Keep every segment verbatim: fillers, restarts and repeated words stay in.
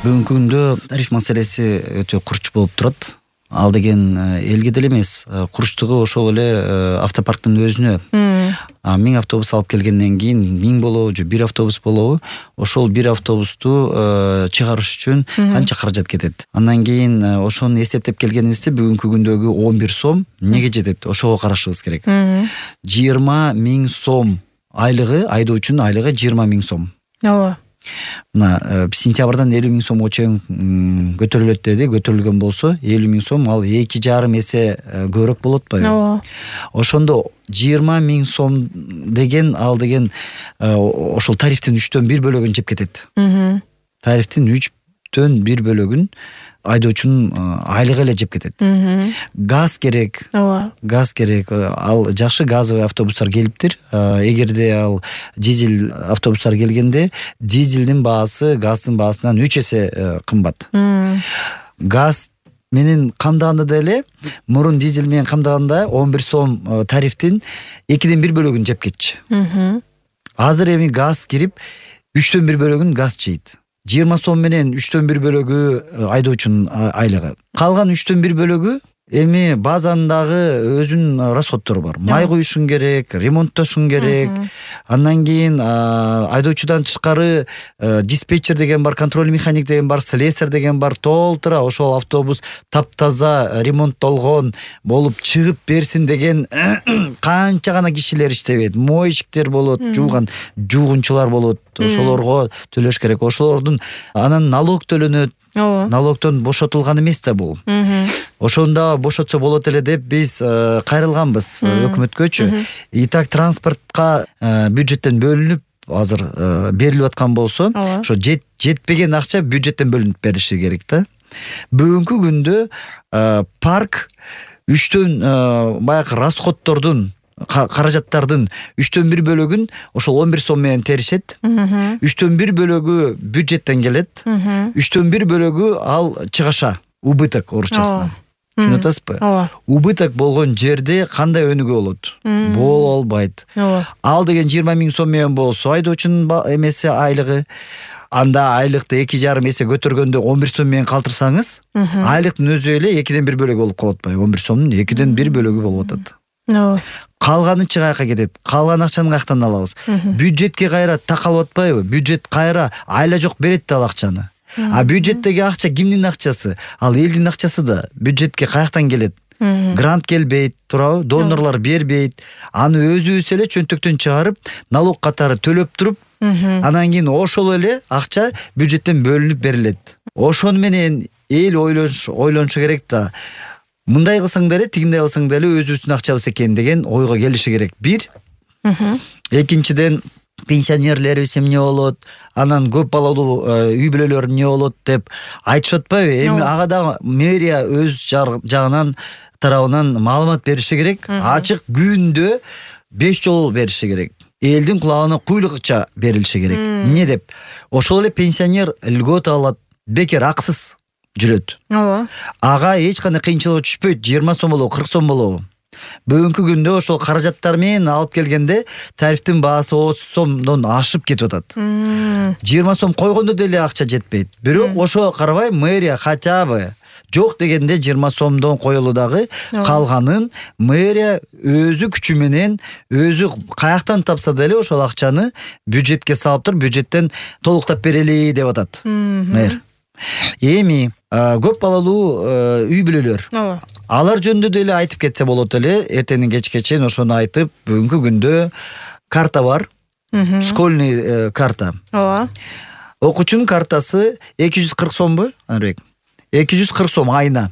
Бүгүнкү күндө тариф маселеси өтө курч болуп турат. Ал деген элге деле эмес, курчтугу ошол эле автопарктын өзүнө. Миң автобус алып келгенден кийин миң болобу же бир автобус болобу, ошол бир автобусту чыгарыш үчүн канча каражат кетет. Андан кийин ошону эсептеп келгенибизде бүгүнкү күндөгү он бир сом эмнеге жетет? Ошого карашыбыз керек. жыйырма миң сом айлыгы, айдоочунун айлыгы жыйырма миң сом. Ооба. Мына сентябрдан элүү миң сомго чейин көтөрүлөт деди. Көтөрүлгөн болсо элүү миң сом, ал эки жарым эсе көбүрөөк болуп атпайбы? Ооба. Ошондо жыйырма миң сом деген ал деген ошол тарифтин үчтөн бир бөлөгүн жеп кетет. Тарифтин үчтөн бир бөлөгүн айдоочунун айлыгы эле жеп кетет. Газ керек. Ооба. Газ керек. Ал жакшы газовый автобустар келиптир. Эгерде ал дизель автобустар келгенде дизелдин баасы газдын баасынан үч эсе кымбат. Газ менен камдаганда деле мурун дизель менен камдаганда он бир сом тарифтин экиден бир бөлөгүн жеп кетчү. Азыр эми газ кирип үчтөн бир бөлөгүн газ жейт. жыйырма сом менен үчтөн бир бөлөгү айдоочунун айлыгы. Калган үчтөн бир бөлөгү эми базандагы өзүнүн расходтору бар. Май куюшуң керек, ремонттошуң керек. Андан кийин айдоочудан тышкары диспетчер деген бар, контроль механик деген бар, слесарь деген бар. Толтура ошол автобус таптаза ремонттолгон болуп чыгып берсин деген канча гана кишилер иштебейт. Мойщиктер болот, жууган жуугунчулар болот. Ошолорго төлөш керек. Ошолордун анан налог төлөнөт. Налогдон бошотулган эмес да бул. Ошондо бошотсо болот эле деп биз кайрылганбыз өкмөткөчү. И так транспортко бюджеттен бөлүнүп азыр берилип аткан болсо, ошо жетпеген акча бюджеттен бөлүнүп бериши керек да. Бүгүнкү күндө парк үчтөн баягы расходтордун, каражаттардын үчтөн бир бөлөгүн ошол он бир сом менен теришет. үчтөн бир бөлөгү бюджеттен келет. үчтөн бир бөлөгү ал чыгаша, убыток орусчасынан. Түшүнүп атасызбы? Убыток болгон жерде кандай өнүгүү болот? Боло албайт. Ал деген жыйырма миң сом менен болсо айдоочунун эмеси айлыгы, анда айлыкты эки жарым эсе көтөргөндө он бир сом менен калтырсаңыз, айлыктын өзү эле экиден бир бөлөгү болуп калып атпайбы? он бир сомдун экиден бир бөлөгү болуп атат. Калганычы каяка кетет? Калган акчаны каяктан алабыз? Бюджетке кайра такалып атпайбы? Бюджет кайра айла жок берет да ал акчаны. А бюджеттеги акча кимдин акчасы? Ал элдин акчасы да. Бюджетке каяктан келет? Грант келбейт, туурабы? Донорлор бербейт. Аны өзүбүз эле чөнтөктөн чыгарып, налог катары төлөп туруп, анан кийин ошол эле акча бюджеттен бөлүнүп берилет. Ошону менен эл ойлонушу керек да. Мындай кылсаң деле, тигиндей кылсаң деле өзүбүздүн акчабыз экен деген ойго келиши керек. Бир. Экинчиден, пенсионерлерибиз эмне болот, анан көп балалуу үй бүлөлөр эмне болот деп айтышып атпайбы? Эми ага да мэрия өз жагынан тарабынан маалымат бериши керек. Ачык күндө беш жолу бериши керек. Элдин кулагына куйлукча берилиши керек. Эмне деп? Ошол эле пенсионер льгота алат, бекер аксыз жүрөт. Ооба. Ага эч кандай кыйынчылык түшпөйт. жыйырма сом болобу, кырк сом болобу. Бүгүнкү күндө ошол каражаттар менен алып келгенде тарифтин баасы отуз сомдон ашып кетип атат. жыйырма сом койгондо деле акча жетпейт. Бирок ошого карабай мэрия хотя бы жок дегенде жыйырма сомдон коелу дагы калганын мэрия өзү күчү менен, өзү каяктан тапса деле ошол акчаны бюджетке салып туруп, бюджеттен толуктап берели деп атат мэр. Эми көп балалуу үй бүлөлөр. Алар жөнүндө деле айтып кетсе болот эле. Эртеңден кечке чейин ошону айтып, бүгүнкү күндө карта бар. Школьный карта. Ооба. Окуучунун картасы эки жүз кырк сомбу, Анарбек? эки жүз кырк сом айына.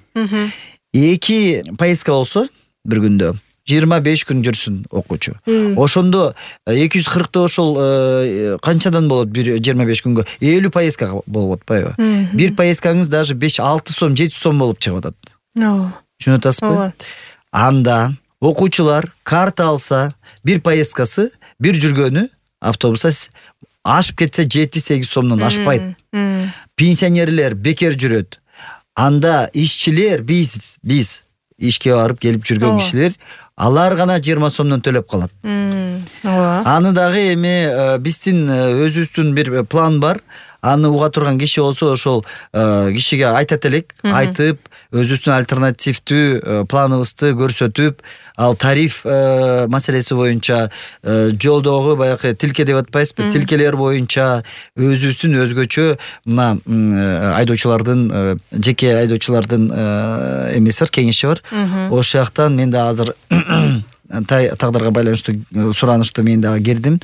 эки поездка болсо бир күндө жыйырма беш күн жүрсүн окуучу. Ошондо эки жүз кыркты ошол канчадан болот бир жыйырма беш күнгө? элүү поездка болуп атпайбы? Бир поездкаңыз даже беш алты сом, жети сом болуп чыгып атат. Түшүнүп атасызбы? Анда окуучулар карта алса, бир поездкасы, бир жүргөнү автобуста ашып кетсе жети сегиз сомдон ашпайт. Пенсионерлер бекер жүрөт. Анда ишчилер, биз, биз ишке барып келип жүргөн кишилер, алар гана жыйырма сомдон төлөп калат. Ооба. Аны дагы эми биздин өзүбүздүн бир план бар. аны уга турган киши болсо ошол кишиге айтат элек, айтып өзүбүздүн альтернативдүү планыбызды көрсөтүп, ал тариф маселеси боюнча жолдогу баягы тилке деп атпайсызбы, тилкелер боюнча өзүбүздүн өзгөчө мына айдоочулардын, жеке айдоочулардын эмеси бар, кеңеши бар. Ошол жактан мен да азыр тагдырга байланыштуу суранышты мен дагы кирдим.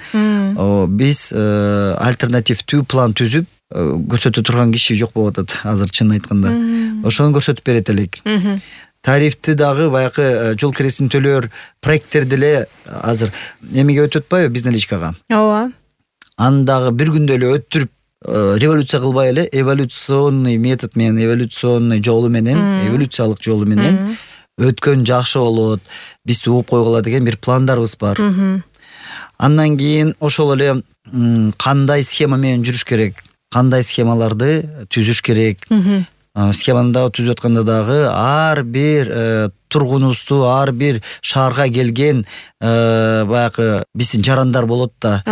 Биз альтернативдүү план түзүп көрсөтө турган киши жок болуп атат азыр, чынын айтканда. Ошону көрсөтүп берет элек. Тарифти дагы баягы жол киресин төлөөр проекттер деле азыр эмеге өтүп атпайбы, биздин личкага. Ооба. Аны дагы бир күндө эле өттүрүп, революция кылбай эле эволюционный метод менен, эволюционный жолу менен, эволюциялык жолу менен өткөн жакшы болот. Биз угуп койгула деген бир пландарыбыз бар. Андан кийин ошол эле кандай схема менен жүрүш керек, кандай схемаларды түзүш керек. Схеманы дагы түзүп атканда дагы ар бир тургунубузду, ар бир шаарга келген баягы биздин жарандар болот да.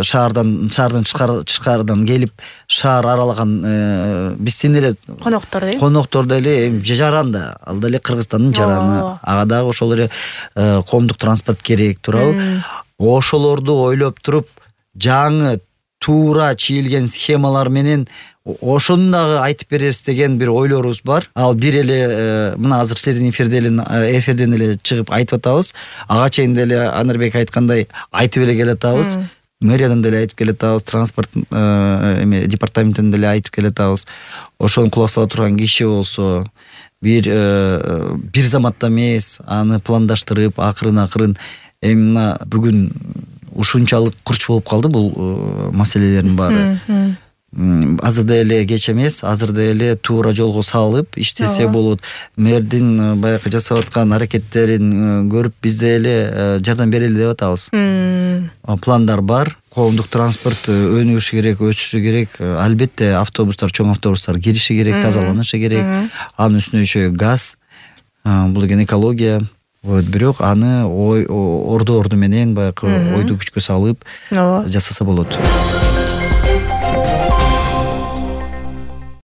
Шаардан, шаардын тышкарыдан келип шаар аралаган биздин эле коноктор дейм. Коноктор деле жаран да, ал деле Кыргызстандын жараны. Ага дагы ошол эле коомдук транспорт керек, туурабы? Ошолорду ойлоп туруп, жаңы туура чийилген схемалар менен ошону дагы айтып беребиз деген бир ойлорубуз бар. Ал бир эле мына азыр силердин эфирден эфирден эле чыгып айтып атабыз. Ага чейин деле Анарбек айткандай айтып эле келатабыз. Мэриядан деле айтып келатабыз, транспорт эме департаментинен деле айтып келатабыз. Ошону кулак сала турган киши болсо, бир бир заматта эмес, аны пландаштырып, акырын-акырын эми мына бүгүн ушунчалык курч болуп калды бул маселелердин баары. Азыр деле кеч эмес, азыр деле туура жолго салып иштесе болот. Мэрдин баягы жасап аткан аракеттерин көрүп биз деле жардам берели деп атабыз. Пландар бар. Коомдук транспорт өнүгүшү керек, өсүшү керек. Албетте автобустар, чоң автобустар кириши керек, тазаланышы керек. Анын үстүнө еще газ, бул деген экология. Вот, бирок аны ой орду орду менен баягы ойду күчкө салып жасаса болот.